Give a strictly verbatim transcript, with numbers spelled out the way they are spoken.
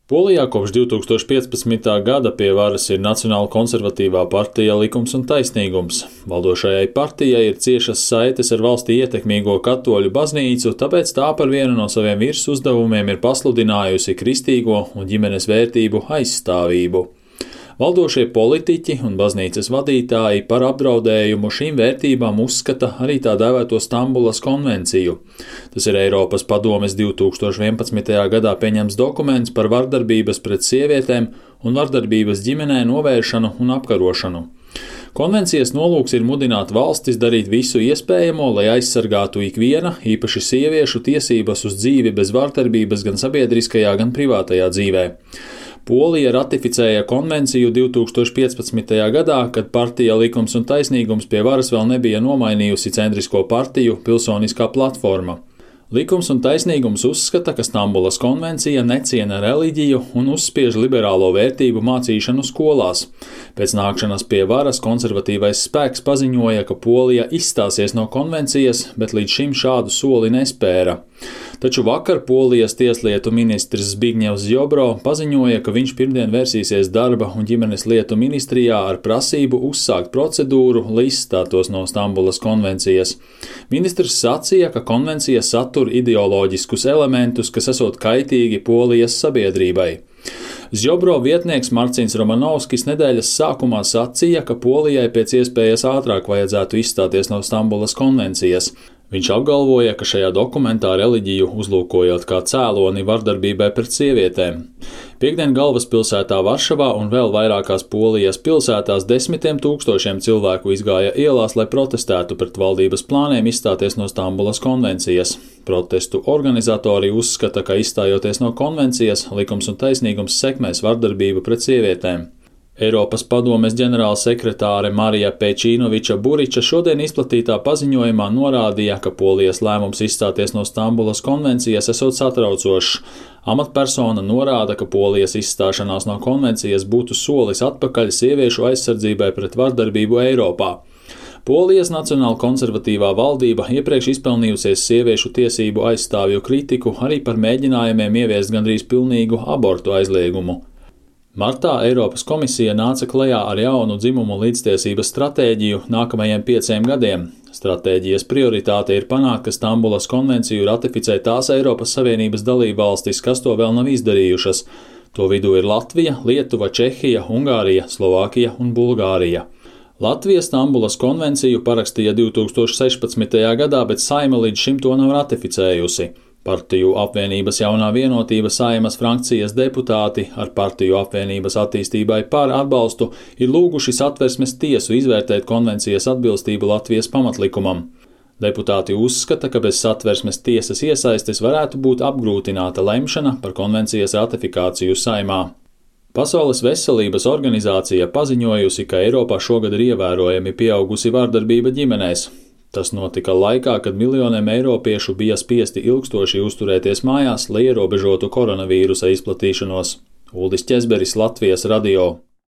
Polijā kopš divi tūkstoši piecpadsmitā gada pie varas ir Nacionāla konservatīvā partija Likums un taisnīgums. Valdošajai partijai ir ciešas saites ar valstī ietekmīgo katoļu baznīcu, tāpēc tā par vienu no saviem virsuzdevumiem ir pasludinājusi kristīgo un ģimenes vērtību aizstāvību. Valdošie politiķi un baznīcas vadītāji par apdraudējumu šīm vērtībām uzskata arī tā dēvēto Stambulas konvenciju. Tas ir Eiropas padomes divi tūkstoši vienpadsmitajā gadā pieņemts dokuments par vardarbības pret sievietēm un vardarbības ģimenē novēršanu un apkarošanu. Konvencijas nolūks ir mudināt valstis darīt visu iespējamo, lai aizsargātu ikviena, īpaši sieviešu tiesības uz dzīvi bez vardarbības gan sabiedriskajā, gan privātajā dzīvē. Polija ratificēja konvenciju divi tūkstoši piecpadsmitajā gadā, kad partija Likums un taisnīgums pie varas vēl nebija nomainījusi centrisko partiju Pilsoniskā platforma. Likums un taisnīgums uzskata, ka Stambulas konvencija neciena reliģiju un uzspiež liberālo vērtību mācīšanu skolās. Pēc nākšanas pie varas konservatīvais spēks paziņoja, ka Polija izstāsies no konvencijas, bet līdz šim šādu soli nespēra. Taču vakar Polijas tieslietu ministrs Zbigņevs Ziobro paziņoja, ka viņš pirmdien vērsīsies darba un ģimenes lietu ministrijā ar prasību uzsākt procedūru, lai izstātos no Stambulas konvencijas. Ministrs sacīja, ka konvencija satur ideoloģiskus elementus, kas esot kaitīgi Polijas sabiedrībai. Ziobro vietnieks Marcins Romanovskis nedēļas sākumā sacīja, ka Polijai pēc iespējas ātrāk vajadzētu izstāties no Stambulas konvencijas. Viņš apgalvoja, ka šajā dokumentā reliģiju uzlūkojot kā cēloni vardarbībai pret sievietēm. Piektdien galvaspilsētā Varšavā un vēl vairākās Polijas pilsētās desmitiem tūkstošiem cilvēku izgāja ielās, lai protestētu pret valdības plāniem izstāties no Stambulas konvencijas. Protestu organizatori uzskata, ka izstājoties no konvencijas, Likums un taisnīgums sekmēs vardarbību pret sievietēm. Eiropas padomes ģenerāla sekretāre Marija Pečīnoviča Buriča šodien izplatītā paziņojumā norādīja, ka Polijas lēmums izstāties no Stambulas konvencijas esot satraucošs. Amatpersona norāda, ka Polijas izstāšanās no konvencijas būtu solis atpakaļ sieviešu aizsardzībai pret vardarbību Eiropā. Polijas Nacionāla konservatīvā valdība iepriekš izpelnījusies sieviešu tiesību aizstāvju kritiku arī par mēģinājumiem ieviest gandrīz pilnīgu abortu aizliegumu. Martā Eiropas komisija nāca klajā ar jaunu dzimumu līdztiesības stratēģiju nākamajiem pieciem gadiem. Stratēģijas prioritāte ir panākt, ka Stambulas konvenciju ratificē tās Eiropas Savienības dalībvalstis, kas to vēl nav izdarījušas. To vidū ir Latvija, Lietuva, Čehija, Ungārija, Slovākija un Bulgārija. Latvija Stambulas konvenciju parakstīja divi tūkstoši sešpadsmitajā gadā, bet Saeima līdz šim to nav ratificējusi. Partiju apvienības jaunā vienotība Saeimas frakcijas deputāti ar partiju apvienības attīstībai par atbalstu ir lūguši Satversmes tiesu izvērtēt konvencijas atbilstību Latvijas pamatlikumam. Deputāti uzskata, ka bez Satversmes tiesas iesaistes varētu būt apgrūtināta lemšana par konvencijas ratifikāciju Saeimā. Pasaules veselības organizācija paziņojusi, ka Eiropā šogad ir ievērojami pieaugusi vardarbība ģimenēs. Tas notika laikā, kad miljoniem eiropiešu bija spiesti ilgstoši uzturēties mājās, lai ierobežotu koronavīrusa izplatīšanos. Uldis Ķezberis, Latvijas radio.